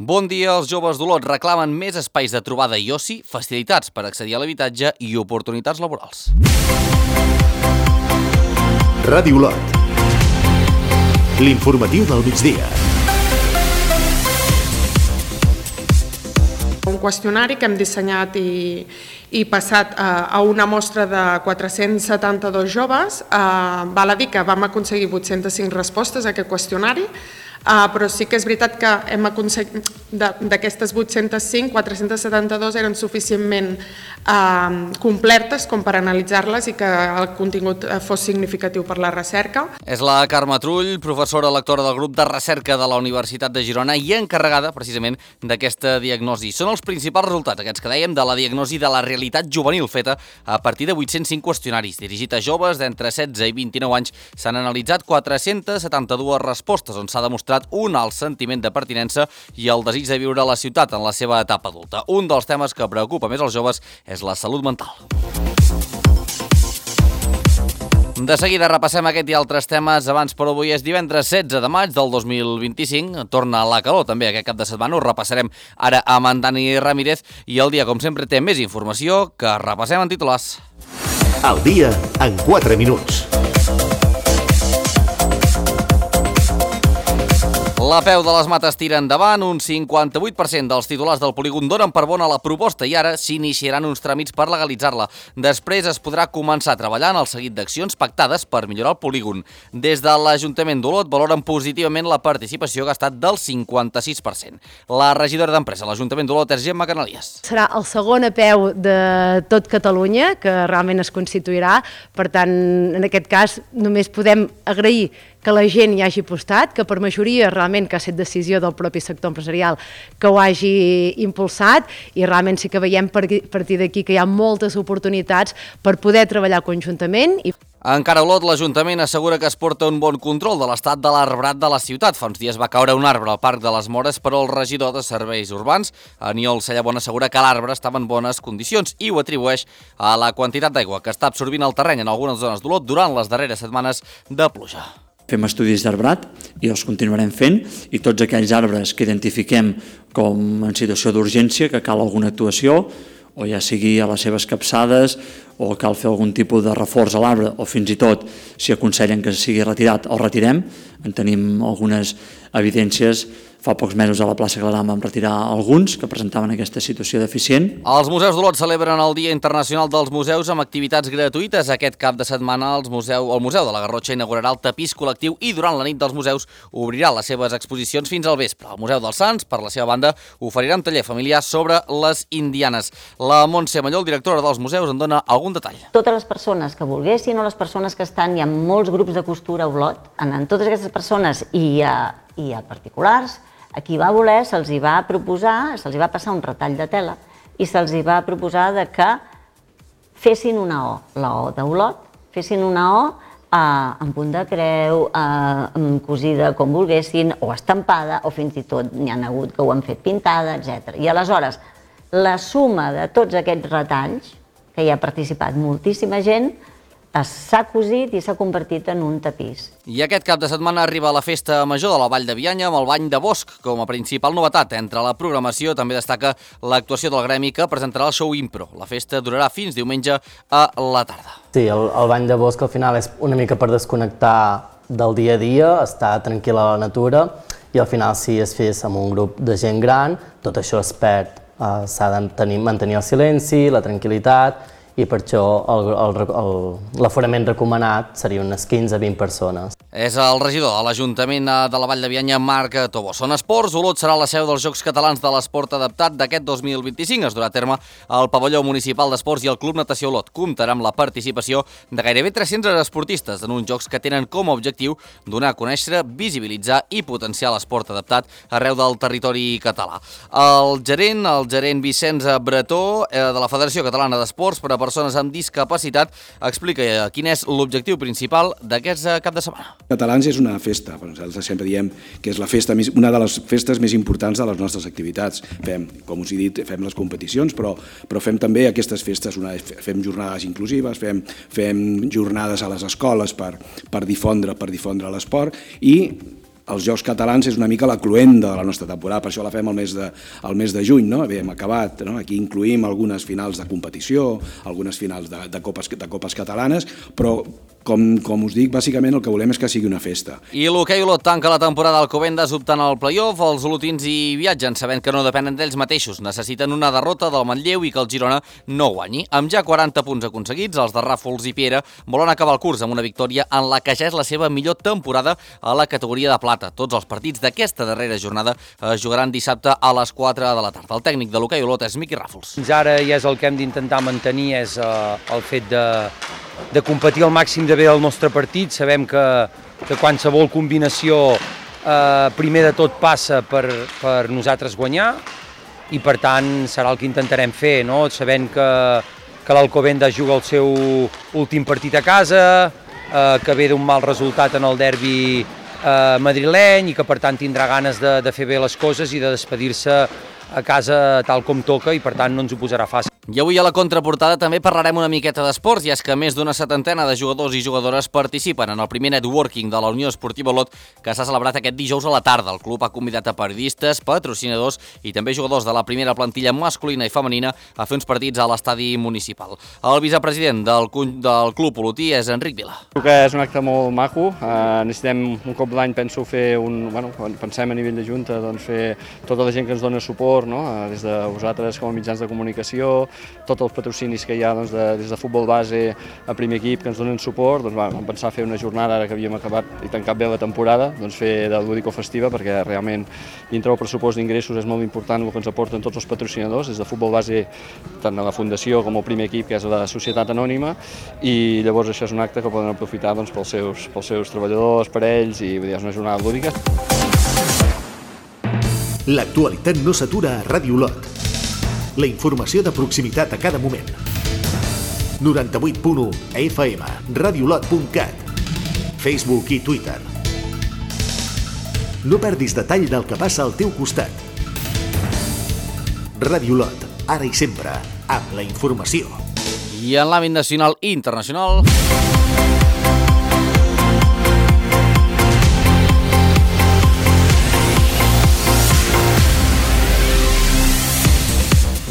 Bon dia, els joves d'Olot reclamen més espais de trobada i oci, facilitats per accedir a l'habitatge i oportunitats laborals. Ràdio Olot. L'informatiu del migdia. Un qüestionari que hem dissenyat i passat a una mostra de 472 joves. Val a dir que vam aconseguir 805 respostes a aquest qüestionari, però sí que és veritat que hem aconseguit, d'aquestes 805, 472 eren suficientment completes com per analitzar-les i que el contingut fos significatiu per la recerca. És la Carme Trull, professora lectora del grup de recerca de la Universitat de Girona i encarregada precisament d'aquesta diagnosi. Són els principals resultats, aquests que dèiem, de la diagnosi de la realitat juvenil feta a partir de 805 qüestionaris. Dirigit a joves d'entre 16 i 29 anys, s'han analitzat 472 respostes on s'ha demostrat un alt sentiment de pertinença i el desig de viure a la ciutat en la seva etapa adulta. Un dels temes que preocupa més als joves és la salut mental. De seguida repassem aquest i altres temes. Abans, però, avui és divendres 16 de maig del 2025. Torna la calor també aquest cap de setmana. Ho repassarem ara amb en Dani Ramírez i el dia, com sempre, té més informació que repassem en titulars. El dia en 4 minuts. La Peu de les Mates tira endavant, un 58% dels titulars del polígon donen per bona la proposta i ara s'iniciaran uns tràmits per legalitzar-la. Després es podrà començar a treballar en el seguit d'accions pactades per millorar el polígon. Des de l'Ajuntament d'Olot valoren positivament la participació que ha estat del 56%. La regidora d'Empresa a l'Ajuntament d'Olot és Gemma Canalies. Serà el segon apeu de tot Catalunya que realment es constituirà, per tant, en aquest cas només podem agrair que la gent hi hagi apostat, que per majoria realment que ha estat decisió del propi sector empresarial que ho hagi impulsat i realment sí que veiem a partir d'aquí que hi ha moltes oportunitats per poder treballar conjuntament. Encara a Olot, l'Ajuntament assegura que es porta un bon control de l'estat de l'arbrat de la ciutat. Fa uns dies va caure un arbre al Parc de les Mores, però el regidor de Serveis Urbans, Aniol Cellabon, assegura que l'arbre estava en bones condicions i ho atribueix a la quantitat d'aigua que està absorbint el terreny en algunes zones d'Olot durant les darreres setmanes de pluja. Fem estudis d'arbrat i els continuarem fent i tots aquells arbres que identifiquem com en situació d'urgència, que cal alguna actuació, o ja sigui a les seves capçades o cal fer algun tipus de reforç a l'arbre o fins i tot si aconsellen que sigui retirat el retirem. En tenim algunes evidències. Fa pocs mesos a la plaça Clarà vam retirar alguns que presentaven aquesta situació deficient. Els museus d'Olot celebren el Dia Internacional dels Museus amb activitats gratuïtes. Aquest cap de setmana el Museu de la Garrotxa inaugurarà el tapís col·lectiu i durant la nit dels museus obrirà les seves exposicions fins al vespre. El Museu dels Sants, per la seva banda, oferirà un taller familiar sobre les indianes. La Montse Mallol, directora dels museus, en dona algun detall. Totes les persones que volguessin o les persones que estan, hi ha molts grups de costura a Olot, en totes aquestes persones i a particulars, a qui va voler se'ls va proposar, se'ls va passar un retall de tela i se'ls va proposar que fessin una O, la O d'Olot, fessin una O en punt de creu, cosida com volguessin, o estampada, o fins i tot n'hi ha hagut que ho han fet pintada, etc. I aleshores, la suma de tots aquests retalls, que hi ha participat moltíssima gent, s'ha cosit i s'ha convertit en un tapís. I aquest cap de setmana arriba la festa major de la Vall de Bianya amb el Bany de Bosc com a principal novetat. Entre la programació també destaca l'actuació del gremi que presentarà el show Impro. La festa durarà fins diumenge a la tarda. Sí, el Bany de Bosc al final és una mica per desconnectar del dia a dia, estar tranquil a la natura i al final si es fes amb un grup de gent gran, tot això es perd. S'ha de mantenir el silenci, la tranquil·litat i per això l'aforament recomanat seria unes 15 a 20 persones. És el regidor de l'Ajuntament de la Vall de Bianya, Marc Tobó. Són esports. Olot serà la seu dels Jocs Catalans de l'Esport Adaptat d'aquest 2025. Es durà a terme al Pavelló Municipal d'Esports i el Club Natació Olot. Comptarà amb la participació de gairebé 300 esportistes en uns jocs que tenen com a objectiu donar a conèixer, visibilitzar i potenciar l'esport adaptat arreu del territori català. El gerent Vicenç Bretó de la Federació Catalana d'Esports per a persones amb discapacitat explica quin és l'objectiu principal d'aquest cap de setmana. Catalans és una festa, nosaltres sempre diem que és una de les festes més importants de les nostres activitats. Com us he dit, fem les competicions, però fem també aquestes festes, fem jornades inclusives, fem jornades a les escoles per difondre l'esport i els Jocs Catalans és una mica la cloenda de la nostra temporada, per això la fem al mes de juny, no? Bé, hem acabat, no? Aquí incluïm algunes finals de competició, algunes finals de copes catalanes, però com us dic, bàsicament el que volem és que sigui una festa. I l'hoquei Olot tanca la temporada al Alcobendas optant al play-off. Els olotins hi viatgen sabent que no depenen d'ells mateixos. Necessiten una derrota del Manlleu i que el Girona no guanyi. Amb ja 40 punts aconseguits, els de Ràfols i Piera volen acabar el curs amb una victòria en la que ja és la seva millor temporada a la categoria de plata. Tots els partits d'aquesta darrera jornada es jugaran dissabte a les 4 de la tarda. El tècnic de l'hoquei Olot és Miqui Ràfols. Fins ara ja és el que hem d'intentar mantenir, és el fet de competir al màxim de bé el nostre partit. Sabem que qualsevol combinació primer de tot passa per nosaltres guanyar i per tant serà el que intentarem fer, no? Sabent que l'Alcobendas juga el seu últim partit a casa, que ve d'un mal resultat en el derbi madrileny i que per tant tindrà ganes de fer bé les coses i de despedir-se a casa tal com toca i per tant no ens ho posarà fàcil. I avui a la contraportada també parlarem una miqueta d'esports, i és que més d'una setantena de jugadors i jugadores participen en el primer networking de la Unió Esportiva Olot, que s'ha celebrat aquest dijous a la tarda. El club ha convidat a periodistes, patrocinadors i també jugadors de la primera plantilla masculina i femenina a fer uns partits a l'estadi municipal. El vicepresident del club olotí és Enric Vila. Crec que és un acte molt maco. Necessitem un cop l'any, penso, fer quan pensem a nivell de Junta, doncs fer tota la gent que ens dona suport, no? Des de vosaltres com a mitjans de comunicació, tots els patrocinis que hi ha des de futbol base a primer equip que ens donen suport, doncs vam pensar fer una jornada ara que havíem acabat i tancat bé la temporada, doncs fer de lúdico-festiva, perquè realment dintre del pressupost d'ingressos és molt important el que ens aporten tots els patrocinadors, des de futbol base tant a la fundació com al primer equip, que és la societat anònima, i llavors això és un acte que poden aprofitar doncs, pels seus treballadors, per ells, i és una jornada lúdica. L'actualitat no s'atura a Ràdio Olot. La informació de proximitat a cada moment. 98.1 FM, radiolot.cat, Facebook i Twitter. No perdis detall del que passa al teu costat. Ràdio Olot, ara i sempre, amb la informació. I en l'àmbit nacional i internacional...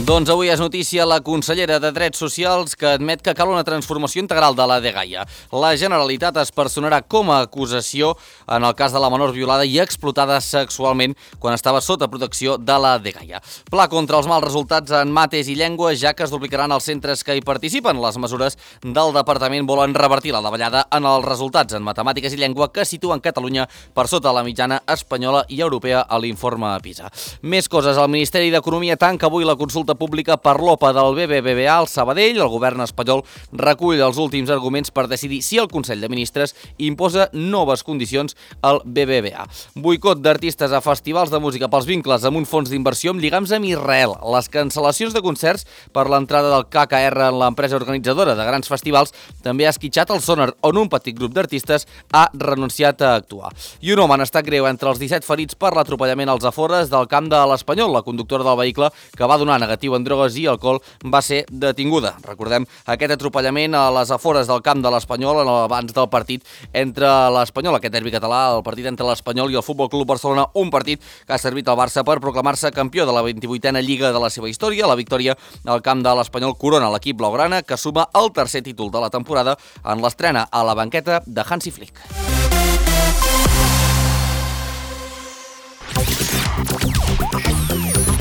Doncs avui és notícia la consellera de Drets Socials, que admet que cal una transformació integral de la dgaia. La Generalitat es personarà com a acusació en el cas de la menor violada i explotada sexualment quan estava sota protecció de la dgaia. Pla contra els mals resultats en mates i llengua, ja que es duplicaran els centres que hi participen. Les mesures del departament volen revertir la davallada en els resultats en matemàtiques i llengua, que situen Catalunya per sota la mitjana espanyola i europea a l'informe PISA. Més coses. El Ministeri d'Economia tanca avui la consulta pública per l'OPA del BBVA al Sabadell. El govern espanyol recull els últims arguments per decidir si el Consell de Ministres imposa noves condicions al BBVA. Boicot d'artistes a festivals de música pels vincles amb un fons d'inversió amb lligams amb Israel. Les cancel·lacions de concerts per l'entrada del KKR en l'empresa organitzadora de grans festivals també ha esquitxat el Sonar, on un petit grup d'artistes ha renunciat a actuar. I un home en estat greu entre els 17 ferits per l'atropellament als afores del camp de l'Espanyol. La conductora del vehicle, que va donar negatiu en drogues i alcohol, va ser detinguda. Recordem aquest atropellament a les afores del camp de l'Espanyol abans del partit entre l'Espanyol, aquest derbi català, el partit entre l'Espanyol i el Futbol Club Barcelona, un partit que ha servit al Barça per proclamar-se campió de la 28a Lliga de la seva història. La victòria al camp de l'Espanyol corona l'equip blaugrana, que suma el tercer títol de la temporada en l'estrena a la banqueta de Hansi Flick.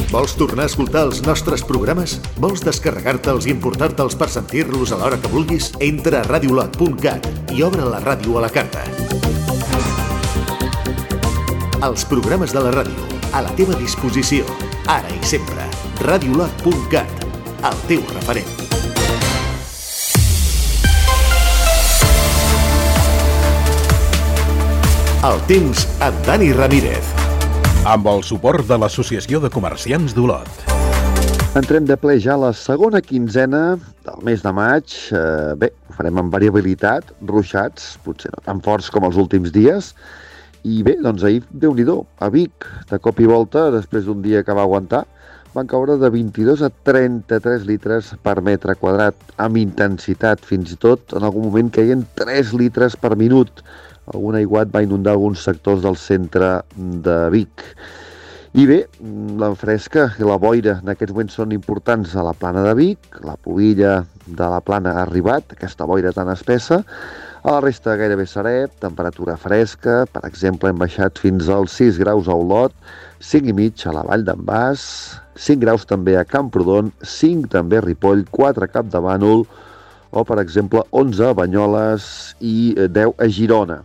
Vols tornar a escoltar els nostres programes? Vols descarregar-te'ls i emportar-te'ls per sentir-los a l'hora que vulguis? Entra a radiolot.cat i obre la ràdio a la carta. Els programes de la ràdio, a la teva disposició, ara i sempre. Radiolot.cat, el teu referent. El temps amb Dani Ramírez. Amb el suport de l'Associació de Comerciants d'Olot. Entrem de ple ja a la segona quinzena del mes de maig. Bé, ho farem amb variabilitat, ruixats, potser no tan forts com els últims dies. I bé, doncs ahir, Déu-n'hi-do, a Vic, de cop i volta, després d'un dia que va aguantar, van caure de 22 a 33 litres per metre quadrat, amb intensitat, fins i tot en algun moment caien 3 litres per minut. algun aiguat va inundar alguns sectors del centre de Vic. I bé, la fresca i la boira en aquests moments són importants a la plana de Vic, la pobilla de la plana ha arribat, aquesta boira tan espessa, a la resta gairebé serè, temperatura fresca, per exemple hem baixat fins als 6 graus a Olot, 5,5 a la Vall d'en Bas, 5 graus també a Camprodon, 5 també a Ripoll, 4 a Capdavànol, o per exemple 11 a Banyoles i 10 a Girona.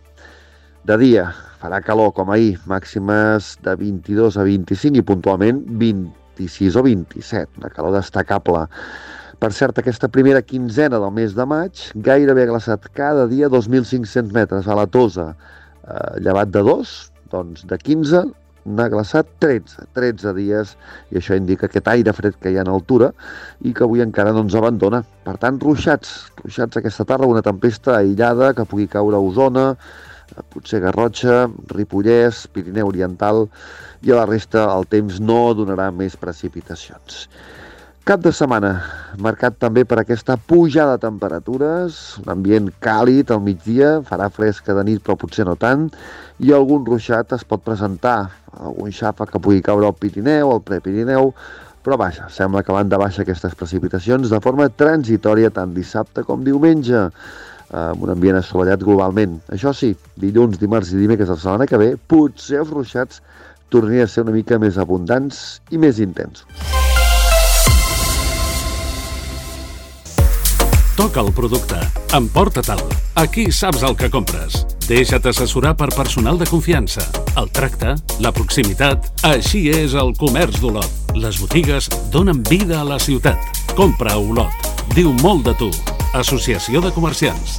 De dia farà calor com ahir, màximes de 22 a 25 i puntualment 26 o 27, una calor destacable. Per cert, aquesta primera quinzena del mes de maig gairebé ha glaçat cada dia 2.500 metres a la Tosa, llevat de 2, doncs de 15 n'ha glaçat 13 dies, i això indica aquest aire fred que hi ha en altura i que avui encara no ens abandona. Per tant, ruixats aquesta tarda, una tempesta aïllada que pugui caure a Osona, potser Garrotxa, Ripollès, Pirineu Oriental, i a la resta el temps no donarà més precipitacions. Cap de setmana marcat també per aquesta pujada de temperatures, un ambient càlid al migdia, farà fresca de nit però potser no tant, i algun ruixat es pot presentar, algun xàfec que pugui caure al Pirineu, al Prepirineu, però vaja, sembla que van de baixa aquestes precipitacions de forma transitòria tant dissabte com diumenge, amb un ambient assolellat globalment. Això sí, dilluns, dimarts i dimecres de la setmana que ve, potser els ruixats tornarien a ser una mica més abundants i més intensos. Toca el producte, emporta-te'l. Aquí saps el que compres. Deixa't assessorar per personal de confiança. El tracte, la proximitat, així és el comerç d'Olot. Les botigues donen vida a la ciutat. Compra a Olot. Diu molt de tu. Associació de Comerciants.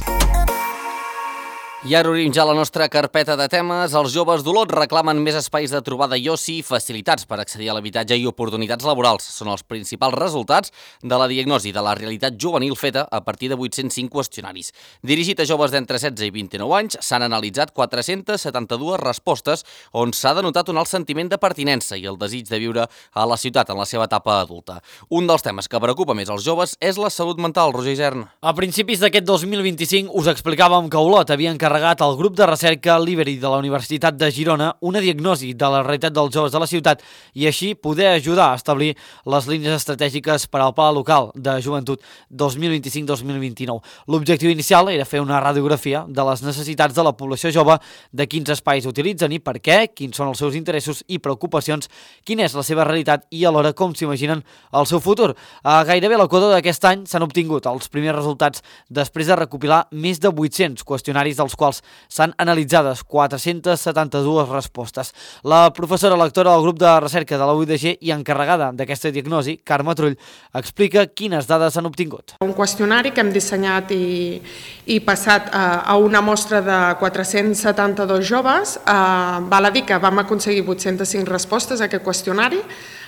I ara obrim ja la nostra carpeta de temes. Els joves d'Olot reclamen més espais de trobada i oci, facilitats per accedir a l'habitatge i oportunitats laborals. Són els principals resultats de la diagnosi de la realitat juvenil feta a partir de 805 qüestionaris. Dirigit a joves d'entre 16 i 29 anys, s'han analitzat 472 respostes on s'ha denotat un alt sentiment de pertinença i el desig de viure a la ciutat en la seva etapa adulta. Un dels temes que preocupa més els joves és la salut mental, Roger Isern. A principis d'aquest 2025 us explicàvem que Olot havia encarregat al grup de recerca Liberi de la Universitat de Girona una diagnosi de la realitat dels joves de la ciutat i així poder ajudar a establir les línies estratègiques per al Pla Local de Joventut 2025-2029. L'objectiu inicial era fer una radiografia de les necessitats de la població jove, de quins espais utilitzen i per què, quins són els seus interessos i preocupacions, quina és la seva realitat i alhora com s'imaginen el seu futur. A gairebé l'equador d'aquest any s'han obtingut els primers resultats després de recopilar més de 800 qüestionaris dels quals s'han analitzades 472 respostes. La professora lectora del grup de recerca de la UIDG i encarregada d'aquesta diagnosi, Carme Trull, explica quines dades s'han obtingut. Un qüestionari que hem dissenyat i passat a una mostra de 472 joves. Val a dir que vam aconseguir 805 respostes a aquest qüestionari,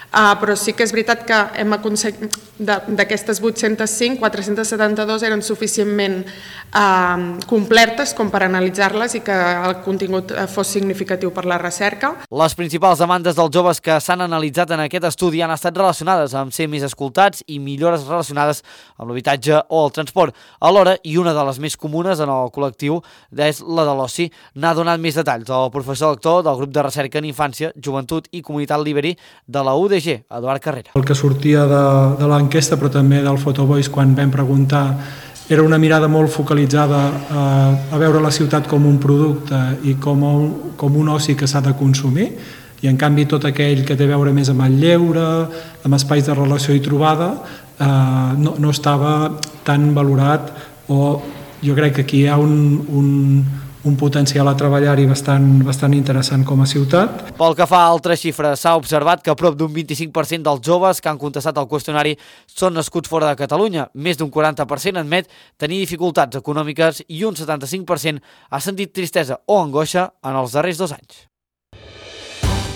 però sí que és veritat que hem aconseguit, d'aquestes 805, 472 eren suficientment completes com per analitzar-les i que el contingut fos significatiu per la recerca. Les principals demandes dels joves que s'han analitzat en aquest estudi han estat relacionades amb ser més escoltats i millores relacionades amb l'habitatge o el transport. Alhora, i una de les més comunes en el col·lectiu és la de l'oci. N'ha donat més detalls el professor lector del grup de recerca en infància, joventut i comunitat Liberi de la UDG, Eduard Carrera. El que sortia de l'enquesta, però també del Photovoice, quan vam preguntar, era una mirada molt focalitzada a veure la ciutat com un producte i com un oci que s'ha de consumir, i en canvi tot aquell que té a veure més amb el lleure, amb espais de relació i trobada, no estava tan valorat, o jo crec que aquí hi ha un potencial a treballar-hi bastant interessant com a ciutat. Pel que fa a altres xifres, s'ha observat que prop d'un 25% dels joves que han contestat al qüestionari són nascuts fora de Catalunya. Més d'un 40% admet tenir dificultats econòmiques i un 75% ha sentit tristesa o angoixa en els darrers 2 anys.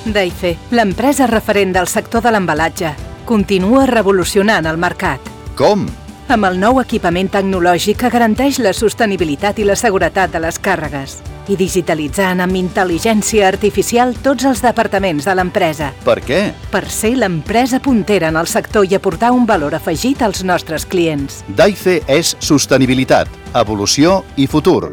Daife, l'empresa referent del sector de l'embalatge, continua revolucionant el mercat. Com? Amb el nou equipament tecnològic que garanteix la sostenibilitat i la seguretat de les càrregues i digitalitzant amb intel·ligència artificial tots els departaments de l'empresa. Per què? Per ser l'empresa puntera en el sector i aportar un valor afegit als nostres clients. Daife és sostenibilitat, evolució i futur.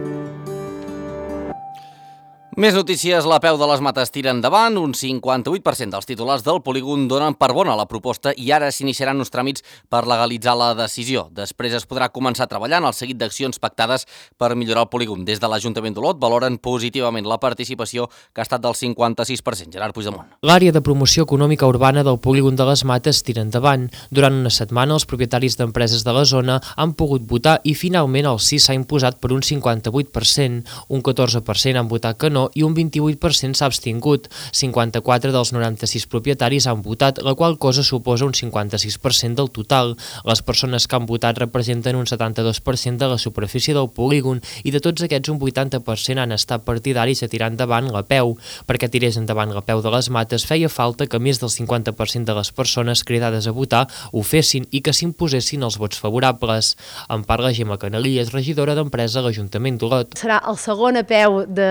Més notícies, la peu de les mates tira endavant, un 58% dels titulars del polígon donen per bona la proposta i ara s'iniciaran uns tràmits per legalitzar la decisió. Després es podrà començar a treballar en el seguit d'accions pactades per millorar el polígon. Des de l'Ajuntament d'Olot valoren positivament la participació, que ha estat del 56%. Gerard Puigdemont. L'àrea de promoció econòmica urbana del polígon de les Mates tira endavant. Durant una setmana, els propietaris d'empreses de la zona han pogut votar i finalment el sí s'ha imposat per un 58%. Un 14% han votat que no i un 28% s'ha abstingut. 54 dels 96 propietaris han votat, la qual cosa suposa un 56% del total. Les persones que han votat representen un 72% de la superfície del polígon i de tots aquests un 80% han estat partidaris de tirar endavant la peu. Perquè tirés endavant la peu de les Mates feia falta que més del 50% de les persones cridades a votar ho fessin i que s'imposessin els vots favorables. En parla Gemma Canalillas, regidora d'Empresa a l'Ajuntament d'Olot. Serà el segon apeu de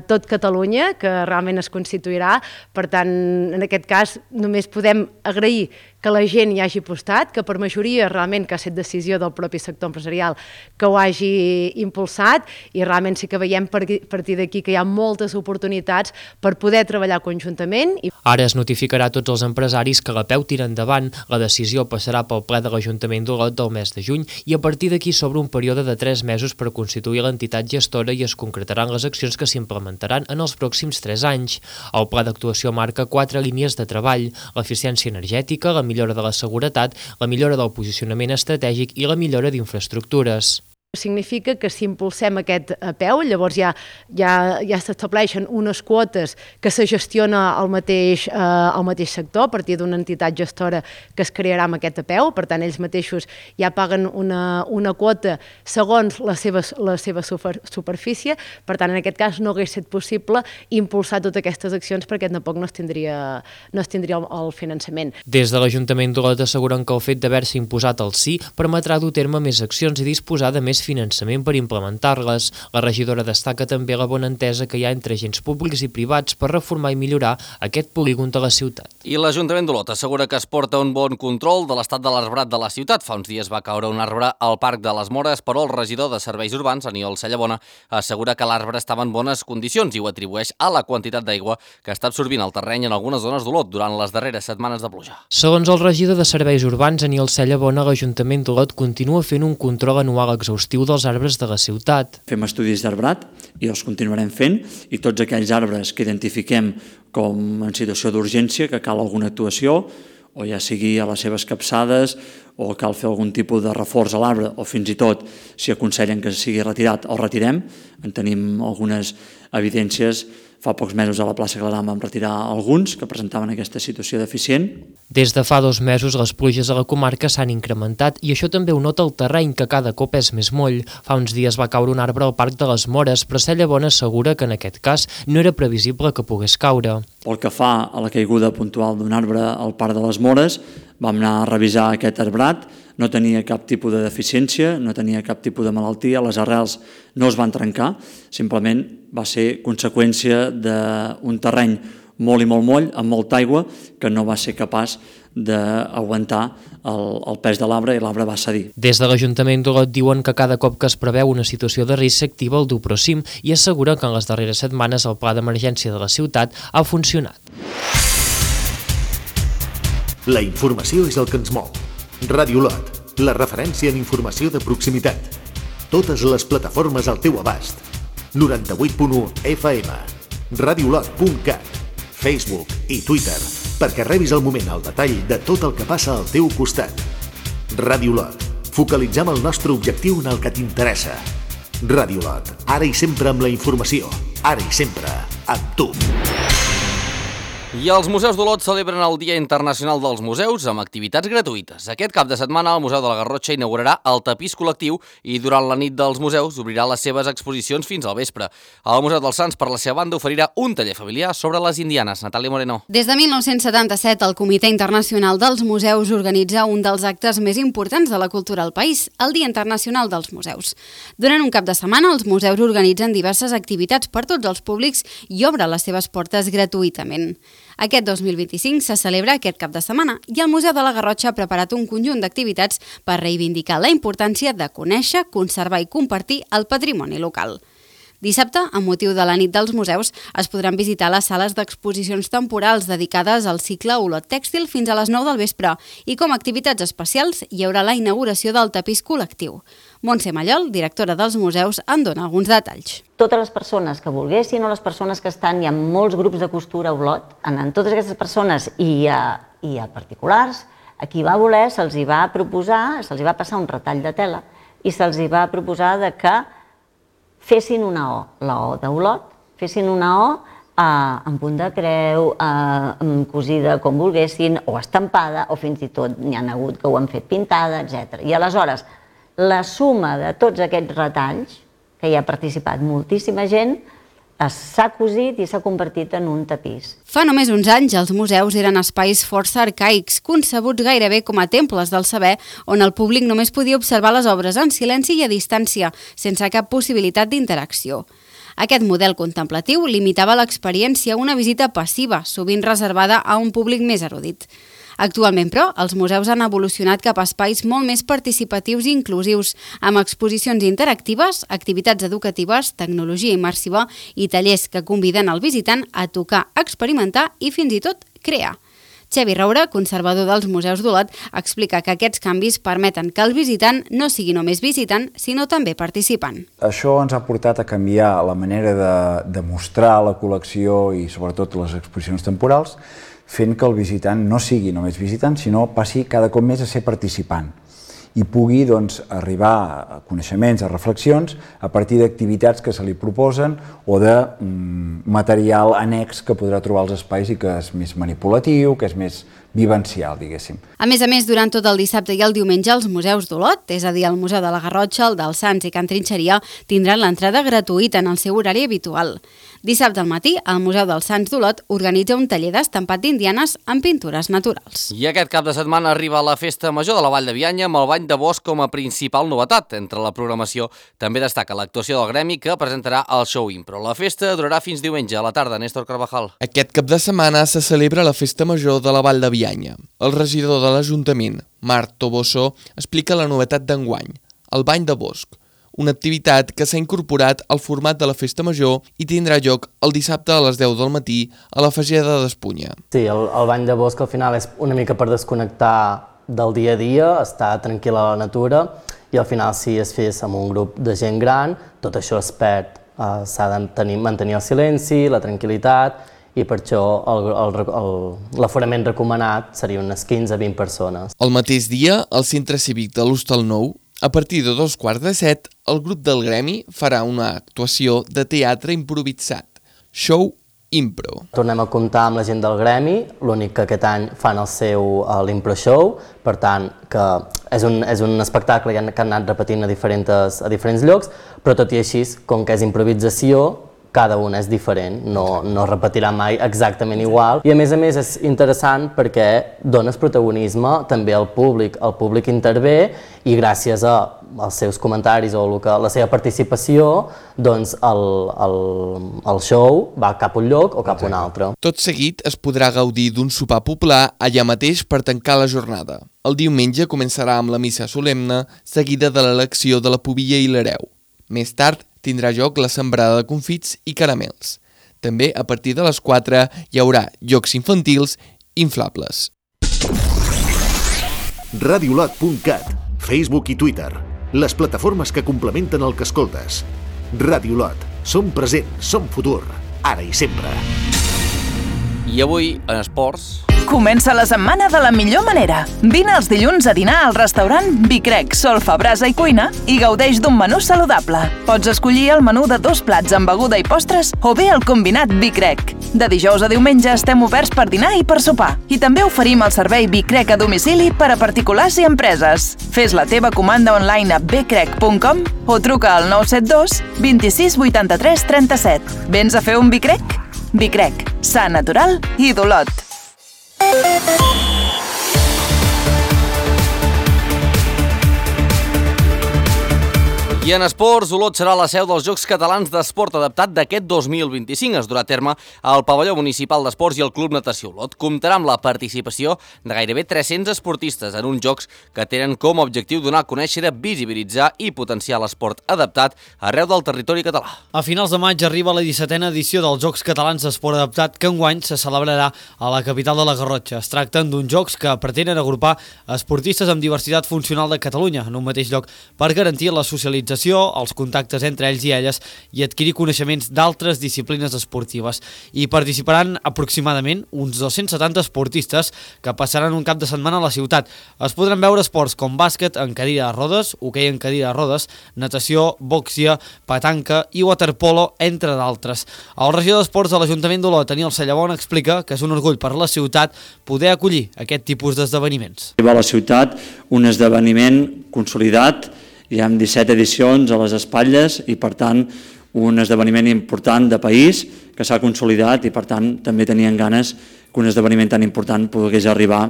tot Catalunya, que realment es constituirà. Per tant, en aquest cas, només podem agrair que la gent hi hagi apostat, que per majoria realment que ha estat decisió del propi sector empresarial que ho hagi impulsat i realment sí que veiem a partir d'aquí que hi ha moltes oportunitats per poder treballar conjuntament. Ara es notificarà a tots els empresaris que la peu tira endavant. La decisió passarà pel ple de l'Ajuntament d'Olot del mes de juny i a partir d'aquí s'obre un període de 3 mesos per constituir l'entitat gestora i es concretaran les accions que s'implementaran en els pròxims 3 anys. El pla d'actuació marca 4 línies de treball: l'eficiència energètica, la millora de la seguretat, la millora del posicionament estratègic i la millora d'infraestructures. Significa que si impulsem aquest apeu, llavors ja s'estableixen unes quotes que se gestiona al mateix sector a partir d'una entitat gestora que es crearà amb aquest apeu. Per tant, ells mateixos ja paguen una quota segons la seva superfície. Per tant, en aquest cas no hauria estat possible impulsar totes aquestes accions perquè tampoc no es tindria el finançament. Des de l'Ajuntament d'Olot asseguren que el fet d'haver-se imposat el sí permetrà dur a terme més accions i disposar de més finançament per implementar-les. La regidora destaca també la bona entesa que hi ha entre agents públics i privats per reformar i millorar aquest polígon de la ciutat. I l'Ajuntament d'Olot assegura que es porta un bon control de l'estat de l'arbrat de la ciutat. Fa uns dies va caure un arbre al Parc de les Mores, però el regidor de Serveis Urbans, Aniol Cellabona, assegura que l'arbre estava en bones condicions i ho atribueix a la quantitat d'aigua que està absorbint el terreny en algunes zones d'Olot durant les darreres setmanes de pluja. Segons el regidor de Serveis Urbans, Aniol Cellabona, l'Ajuntament d'Olot continua fent un control anual exhaustiu dels arbres de la ciutat. Fem estudis d'arbrat i els continuarem fent i tots aquells arbres que identifiquem com en situació d'urgència, que cal alguna actuació, o ja sigui a les seves capçades o cal fer algun tipus de reforç a l'arbre o fins i tot si aconsellen que sigui retirat el retirem. En tenim algunes evidències. Fa pocs mesos a la plaça Clarà vam retirar alguns que presentaven aquesta situació deficient. Des de fa 2 mesos les pluges a la comarca s'han incrementat i això també ho nota el terreny, que cada cop és més moll. Fa uns dies va caure un arbre al Parc de les Mores, però Cellabona assegura que en aquest cas no era previsible que pogués caure. Pel que fa a la caiguda puntual d'un arbre al Parc de les Mores, vam anar a revisar aquest arbrat, no tenia cap tipus de deficiència, no tenia cap tipus de malaltia, les arrels no es van trencar, simplement va ser conseqüència d'un terreny molt i molt moll, amb molta aigua, que no va ser capaç d'aguantar el pes de l'arbre i l'arbre va cedir. Des de l'Ajuntament d'Olot diuen que cada cop que es preveu una situació de risc s'activa el Duprosim i assegura que en les darreres setmanes el pla d'emergència de la ciutat ha funcionat. La informació és el que ens mou. Ràdio Olot, la referència en informació de proximitat. Totes les plataformes al teu abast. 98.1 FM, radiolot.cat, Facebook i Twitter, perquè rebis al moment el detall de tot el que passa al teu costat. Ràdio Olot, focalitzem el nostre objectiu en el que t'interessa. Ràdio Olot, ara i sempre amb la informació, ara i sempre amb tu. I els museus d'Olot celebren el Dia Internacional dels Museus amb activitats gratuïtes. Aquest cap de setmana el Museu de la Garrotxa inaugurarà el tapís col·lectiu i durant la nit dels museus obrirà les seves exposicions fins al vespre. El Museu dels Sants, per la seva banda, oferirà un taller familiar sobre les indianes. Natàlia Moreno. Des de 1977, el Comitè Internacional dels Museus organitza un dels actes més importants de la cultura al país, el Dia Internacional dels Museus. Durant un cap de setmana, els museus organitzen diverses activitats per tots els públics i obren les seves portes gratuïtament. Aquest 2025 se celebra aquest cap de setmana i el Museu de la Garrotxa ha preparat un conjunt d'activitats per reivindicar la importància de conèixer, conservar i compartir el patrimoni local. Dissabte, amb motiu de la nit dels museus, es podran visitar les sales d'exposicions temporals dedicades al cicle Olot Tèxtil fins a les 9 del vespre i com a activitats especials hi haurà la inauguració del tapís col·lectiu. Montse Mallol, directora dels museus, en dona alguns detalls. Totes les persones que volguessin o les persones que estan, hi ha molts grups de costura a Olot, en totes aquestes persones i a particulars, a qui va voler se'ls va proposar, se'ls va passar un retall de tela i se'ls va proposar que fessin una O, la O d'Olot, fessin una O en punt de creu, cosida com volguessin, o estampada, o fins i tot n'hi ha hagut que ho han fet pintada, etc. I aleshores, la suma de tots aquests retalls, que hi ha participat moltíssima gent, s'ha cosit i s'ha convertit en un tapís. Fa només uns anys, els museus eren espais força arcaics, concebuts gairebé com a temples del saber, on el públic només podia observar les obres en silenci i a distància, sense cap possibilitat d'interacció. Aquest model contemplatiu limitava l'experiència a una visita passiva, sovint reservada a un públic més erudit. Actualment, però, els museus han evolucionat cap a espais molt més participatius i inclusius, amb exposicions interactives, activitats educatives, tecnologia immersiva i tallers que conviden el visitant a tocar, experimentar i fins i tot crear. Xavi Roura, conservador dels museus d'Olot, explica que aquests canvis permeten que el visitant no sigui només visitant, sinó també participant. Això ens ha portat a canviar la manera de mostrar la col·lecció i sobretot les exposicions temporals, fent que el visitant no sigui només visitant, sinó passi cada cop més a ser participant i pugui arribar a coneixements, a reflexions, a partir d'activitats que se li proposen o de material annex que podrà trobar als espais i que és més manipulatiu, que és més vivencial, diguéssim. A més, durant tot el dissabte i el diumenge, els museus d'Olot, és a dir, el Museu de la Garrotxa, el dels Sants i Can Trinxeria, tindran l'entrada gratuïta en el seu horari habitual. Dissabte al matí, el Museu dels Sants d'Olot organitza un taller d'estampat d'indianes amb pintures naturals. I aquest cap de setmana arriba la Festa Major de la Vall de Bianya amb el Bany de Bosc com a principal novetat. Entre la programació també destaca l'actuació del gremi que presentarà el show impro. La festa durarà fins diumenge a la tarda. Néstor Carvajal. Aquest cap de setmana se celebra la Festa Major de la Vall de Bianya. El regidor de l'Ajuntament, Marc Toboso, explica la novetat d'enguany, el Bany de Bosc, una activitat que s'ha incorporat al format de la Festa Major i tindrà lloc el dissabte a les 10 del matí a la Fageda d'Espunya. Sí, el Bany de Bosc al final és una mica per desconnectar del dia a dia, estar tranquil a la natura i al final si es fes amb un grup de gent gran, tot això es perd. S'ha de mantenir el silenci, la tranquil·litat i per això l'aforament recomanat seria unes 15-20 persones. El mateix dia, al Centre Cívic de l'Hostal Nou, a partir de 7:15, el grup del gremi farà una actuació de teatre improvisat, show impro. Tornem a comptar amb la gent del gremi, l'únic que aquest any fan l'impro show, per tant que és un espectacle que han anat repetint a diferents llocs, però tot i així, com que és improvisació, cada un és diferent, no repetirà mai exactament igual. I a més és interessant perquè dones protagonisme també al públic. El públic intervé i gràcies als seus comentaris o la seva participació, doncs el show va cap a un lloc o cap a un altre. Tot seguit es podrà gaudir d'un sopar popular allà mateix per tancar la jornada. El diumenge començarà amb la missa solemne, seguida de l'elecció de la pubilla i l'hereu. Més tard tindrà lloc la sembrada de confits i caramels. També a partir de les 4 hi haurà jocs infantils inflables. Radiolot.cat, Facebook i Twitter, les plataformes que complementen el que escoltes. Radiolot, som present, som futur, ara i sempre. I avui, en esports... Comença la setmana de la millor manera. Vine els dilluns a dinar al restaurant Vicrec, Solfa, Brasa i Cuina i gaudeix d'un menú saludable. Pots escollir el menú de 2 plats amb beguda i postres o bé el combinat Vicrec. De dijous a diumenge estem oberts per dinar i per sopar. I també oferim el servei Vicrec a domicili per a particulars i empreses. Fes la teva comanda online a becrec.com o truca al 972 26 83 37. Vens a fer un Vicrec? Vicrec, sa, natural i d'Olot. I en esports, Olot serà la seu dels Jocs Catalans d'Esport Adaptat d'aquest 2025. Es durà a terme al Pavelló Municipal d'Esports i el Club Natació Olot. Comptarà amb la participació de gairebé 300 esportistes en uns Jocs que tenen com a objectiu donar a conèixer, visibilitzar i potenciar l'esport adaptat arreu del territori català. A finals de maig arriba la 17a edició dels Jocs Catalans d'Esport Adaptat, que enguany se celebrarà a la capital de la Garrotxa. Es tracten d'uns Jocs que pretenen agrupar esportistes amb diversitat funcional de Catalunya en un mateix lloc per garantir la socialització, els contactes entre ells i elles i adquirir coneixements d'altres disciplines esportives. Hi participaran aproximadament uns 270 esportistes que passaran un cap de setmana a la ciutat. Es podran veure esports com bàsquet en cadira de rodes, hoquei en cadira de rodes, natació, boxia, petanca i waterpolo, entre d'altres. El regidor d'Esports de l'Ajuntament d'Olot, Daniel Sallabon, explica que és un orgull per la ciutat poder acollir aquest tipus d'esdeveniments. Arriba a la ciutat un esdeveniment consolidat, hi ha 17 edicions a les espatlles i, per tant, un esdeveniment important de país que s'ha consolidat i, per tant, també tenien ganes que un esdeveniment tan important pogués arribar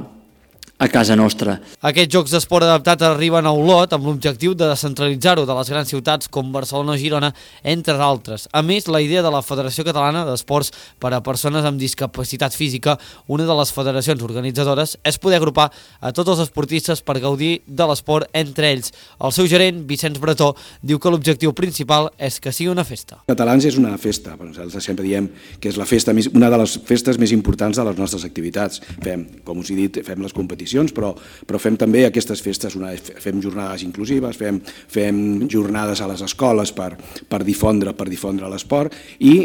a casa nostra. Aquests Jocs d'Esport Adaptat arriben a Olot amb l'objectiu de descentralitzar-ho de les grans ciutats com Barcelona o Girona, entre d'altres. A més, la idea de la Federació Catalana d'Esports per a Persones amb Discapacitat Física, una de les federacions organitzadores, és poder agrupar a tots els esportistes per gaudir de l'esport entre ells. El seu gerent, Vicenç Bretó, diu que l'objectiu principal és que sigui una festa. Catalans és una festa, però nosaltres sempre diem que és la festa, una de les festes més importants de les nostres activitats. Fem, com us he dit, fem les competicions, però fem també aquestes festes, fem jornades inclusives, fem jornades a les escoles per difondre l'esport, i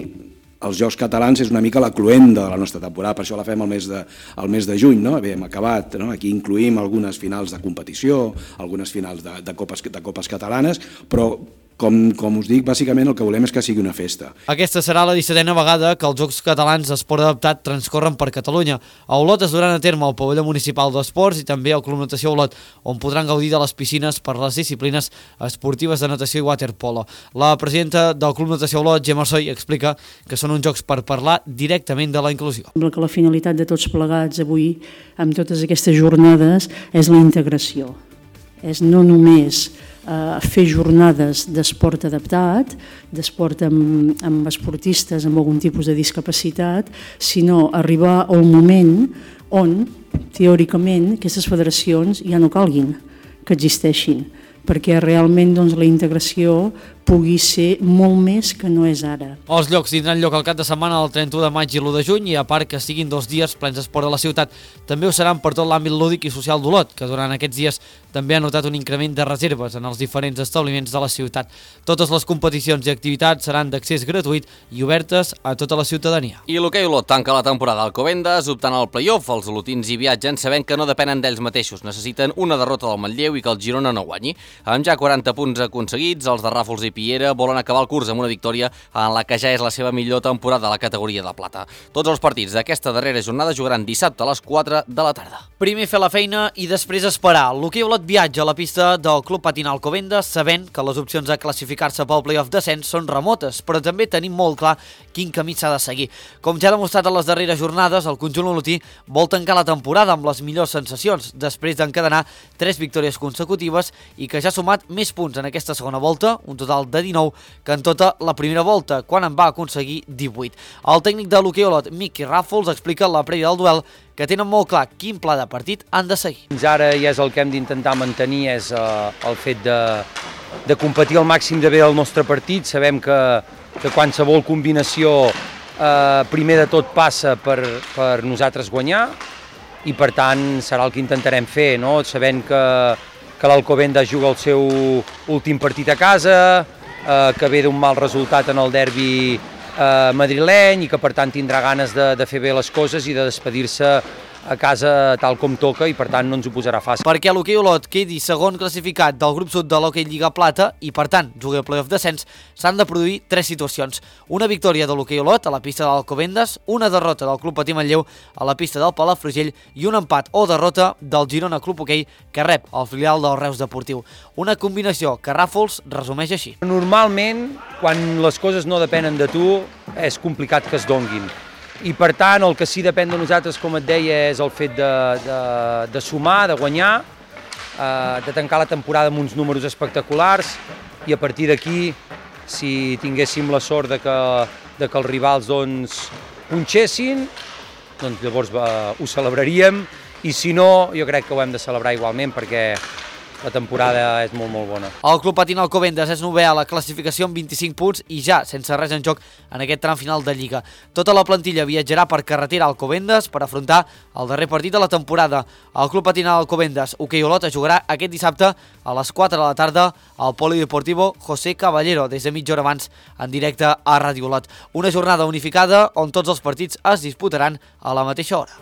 els Jocs Catalans és una mica la cloenda de la nostra temporada, per això la fem al mes de juny, no? Bé, hem acabat, no? Aquí incluïm algunes finals de competició, algunes finals de copes catalanes, però com us dic, bàsicament el que volem és que sigui una festa. Aquesta serà la 17a vegada que els Jocs Catalans d'Esport Adaptat transcorren per Catalunya. A Olot es duran a terme al Pavelló Municipal d'Esports i també al Club Natació Olot, on podran gaudir de les piscines per les disciplines esportives de natació i waterpolo. La presidenta del Club Natació Olot, Gemma Soy, explica que són uns jocs per parlar directament de la inclusió. Sembla que la finalitat de tots plegats avui, amb totes aquestes jornades, és la integració. És no només fer jornades d'esport adaptat, d'esport amb esportistes amb algun tipus de discapacitat, sinó arribar a un moment on, teòricament, aquestes federacions ja no calguin que existeixin, perquè realment la integració pugui ser molt més que no és ara. Els llocs tindran lloc al cap de setmana del 31 de maig i l'1 de juny i, a part que siguin 2 dies plens d'esport a la ciutat, també ho seran per tot l'àmbit lúdic i social d'Olot, que durant aquests dies també ha notat un increment de reserves en els diferents establiments de la ciutat. Totes les competicions i activitats seran d'accés gratuït i obertes a tota la ciutadania. I l'hoquei Olot tanca la temporada al Alcobendas, optant al play-off. Els olotins hi viatgen sabent que no depenen d'ells mateixos. Necessiten una derrota del Manlleu i que el Girona no guanyi. Amb ja 40 punts aconseguits, els de Ràfols i Piera volen acabar el curs amb una victòria en la que ja és la seva millor temporada a la categoria de plata. Tots els partits d'aquesta darrera jornada jugaran dissabte a les 4 de la tarda. Primer fer la feina i després esperar. L'hoquei Olot viatja a la pista del Club Patinal Alcobendas sabent que les opcions de classificar-se pel play-off descens són remotes, però també tenim molt clar quin camí s'ha de seguir. Com ja ha demostrat en les darreres jornades, el conjunt olotí vol tancar la temporada amb les millors sensacions, després d'encadenar 3 victòries consecutives i que ja ha sumat més punts en aquesta segona volta, un total de 19, que en tota la primera volta, quan en va aconseguir 18. El tècnic de l'hoquei Olot, Miqui Ràfols, explica a la prèvia del duel que tenen molt clar quin pla de partit han de seguir. Fins ara ja és el que hem d'intentar mantenir, és el fet de competir al màxim de bé el nostre partit. Sabem que qualsevol combinació primer de tot passa per nosaltres guanyar i per tant serà el que intentarem fer, no? Sabent que l'Alcobendas juga el seu últim partit a casa, que ve d'un mal resultat en el derbi madrileny i que per tant tindrà ganes de fer bé les coses i de despedir-se a casa tal com toca i per tant no ens ho posarà fàcil. Perquè l'hoquei Olot quedi segon classificat del grup sud de l'hoquei Lliga Plata i per tant jugui al play-off descens, s'han de produir 3 situacions. Una victòria de l'hoquei Olot a la pista de l'Alcobendas, una derrota del Club Patí Manlleu a la pista del Palafrugell i un empat o derrota del Girona Club Hoquei que rep el filial del Reus Deportiu. Una combinació que Ràfols resumeix així. Normalment, quan les coses no depenen de tu, és complicat que es donguin. I per tant el que sí depèn de nosaltres, com et deia, és el fet de sumar, de guanyar, de tancar la temporada amb uns números espectaculars i a partir d'aquí, si tinguéssim la sort de que els rivals punxessin, doncs llavors ho celebraríem, i si no, jo crec que ho hem de celebrar igualment perquè la temporada és molt, molt bona. El Club Patín Alcobendas és novè a la classificació amb 25 punts i ja sense res en joc en aquest tram final de Lliga. Tota la plantilla viatjarà per carretera a Alcobendas per afrontar el darrer partit de la temporada. El Club Patín Alcobendas Hoquei Olot jugarà aquest dissabte a les 4 de la tarda al Polideportivo José Caballero, des de mitja hora abans en directe a Ràdio Olot. Una jornada unificada on tots els partits es disputaran a la mateixa hora.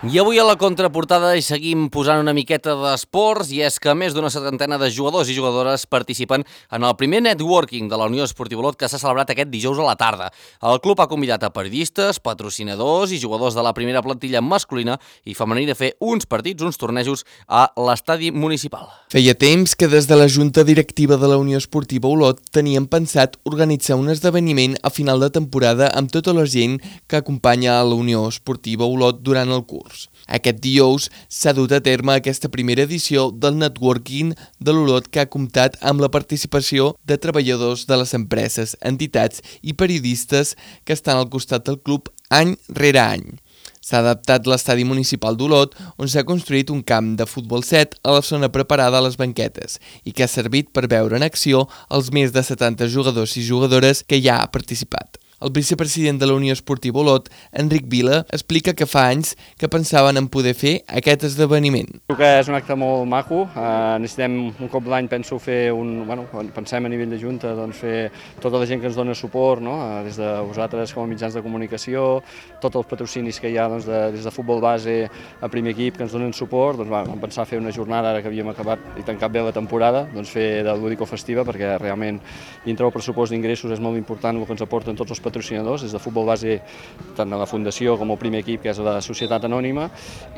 I avui a la contraportada hi seguim posant una miqueta d'esports, i és que més d'una setantena de jugadors i jugadores participen en el primer networking de la Unió Esportiva Olot, que s'ha celebrat aquest dijous a la tarda. El club ha convidat a periodistes, patrocinadors i jugadors de la primera plantilla masculina i femenina a fer uns partits, uns tornejos a l'estadi municipal. Feia temps que des de la Junta Directiva de la Unió Esportiva Olot tenien pensat organitzar un esdeveniment a final de temporada amb tota la gent que acompanya a la Unió Esportiva Olot durant el curs. Aquest dijous s'ha dut a terme aquesta primera edició del networking de l'Olot, que ha comptat amb la participació de treballadors de les empreses, entitats i periodistes que estan al costat del club any rere any. S'ha adaptat l'estadi municipal d'Olot, on s'ha construït un camp de futbol 7 a la zona preparada a les banquetes i que ha servit per veure en acció els més de 70 jugadors i jugadores que ja ha participat. El vicepresident de la Unió Esportiva Olot, Enric Vila, explica que fa anys que pensaven en poder fer aquest esdeveniment. Crec que és un acte molt maco. Necessitem un cop l'any, penso, fer pensem a nivell de Junta, fer tota la gent que ens dona suport, des de vosaltres com a mitjans de comunicació, tots els patrocinis que hi ha des de futbol base a primer equip que ens donen suport. Vam pensar fer una jornada, ara que havíem acabat i tancat bé la temporada, fer de lúdico-festiva, perquè realment dintre del pressupost d'ingressos és molt important el que ens aporten tots els patrocinadors, des de futbol base, tant a la Fundació com al primer equip, que és la Societat Anònima,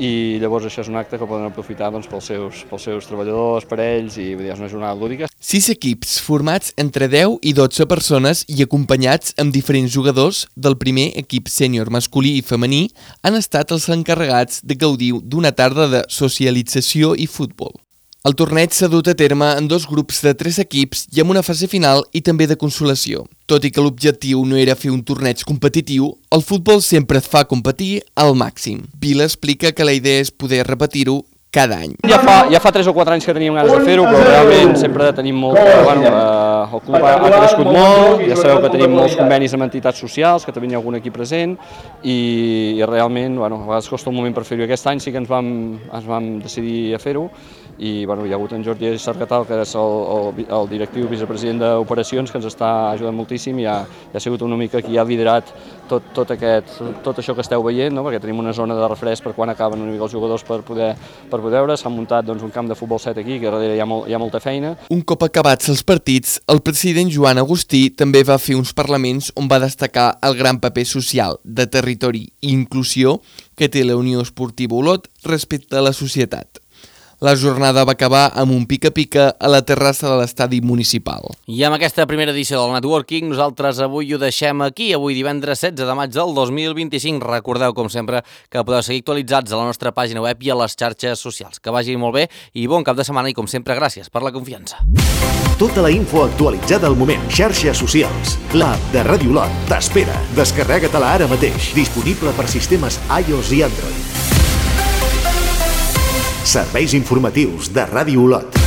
i llavors això és un acte que poden aprofitar pels seus treballadors, per ells, i és una jornada lúdica. 6 equips formats entre 10 i 12 persones i acompanyats amb diferents jugadors del primer equip sènior masculí i femení han estat els encarregats de gaudir d'una tarda de socialització i futbol. El torneig s'ha dut a terme en 2 grups de 3 equips i amb una fase final i també de consolació. Tot i que l'objectiu no era fer un torneig competitiu, el futbol sempre et fa competir al màxim. Vila explica que la idea és poder repetir-ho cada any. Ja fa 3 o 4 anys que teníem ganes de fer-ho, però realment sempre tenim molt... el club ha crescut molt, ja sabeu que tenim molts convenis amb entitats socials, que també hi ha algun equip present, i realment a vegades costa un moment per fer-ho. Aquest any sí que ens vam decidir a fer-ho, i hi ha hagut en Jordi Sargatal, que és el directiu vicepresident d'operacions, que ens està ajudant moltíssim, i ha sigut una mica qui ha liderat tot això que esteu veient, perquè tenim una zona de refresc per quan acaben una mica els jugadors per poder veure. S'ha muntat un camp de futbol 7 aquí, que darrere hi ha molta feina. Un cop acabats els partits, el president Joan Agustí també va fer uns parlaments on va destacar el gran paper social, de territori i inclusió que té la Unió Esportiva Olot respecte a la societat. La jornada va acabar amb un pica-pica a la terrassa de l'estadi municipal. I amb aquesta primera edició del Networking, nosaltres avui ho deixem aquí. Avui divendres 16 de maig del 2025. Recordeu, com sempre, que podeu seguir actualitzats a la nostra pàgina web i a les xarxes socials. Que vagi molt bé i bon cap de setmana i, com sempre, gràcies per la confiança. Tota la info actualitzada al moment. Xarxes socials. L'app de Ràdio Olot t'espera. Descarrega-te-la ara mateix. Disponible per sistemes iOS i Android. Serveis informatius de Ràdio Olot.